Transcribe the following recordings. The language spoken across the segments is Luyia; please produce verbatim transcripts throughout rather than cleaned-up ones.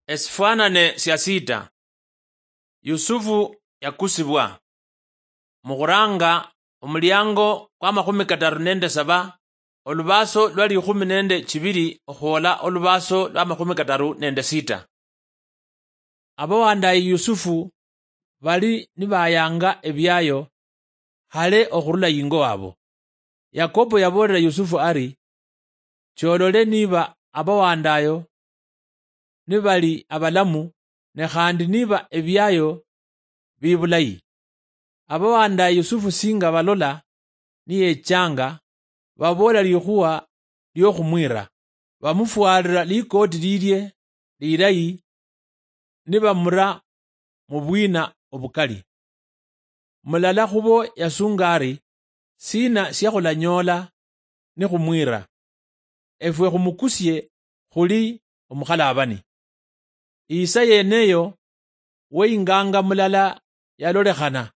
Esifwanane sia sita. Yusufu yakusibwa. Mukhuranga omuliango kwa makhumi kataru nende saba, olubaso lwa likhumi nende chibiri okhwola olubaso lwa makhumi kataru nende sita. Abawandaye Yusufu bali nibayanga ebiayo hale okhurula yingo wabo. Yakobo yaboolera Yusufu ari, "Cholole niba abawandayo nibali abalamu, ne khandi niba ebiayo bibulayi." Abawandaye Yusufu singa balola niyechanga, baboola likhuwa liokhumwira, bamufwalira likoti lilie lilayi, nibamura mubwina obukali. Mulala khubo yasunga ari, "Sina siakhulanyoola nikhumwira? Efwe khumukusie khuli omukhalabani." Isa yeneyo weinganga mulala yalolekhana,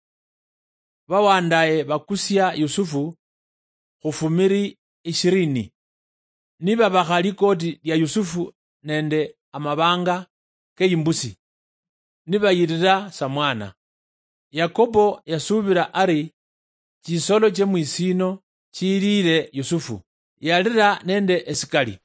bawandaye bakusia Yusufu khufumiri ishirini, nibabakha likoti lia Yusufu nende amabanga keimbusi, nibayirira samwana. Yakobo yasubira ari chisolo chie mwisino chiliire Yusufu, yalira nende esikali.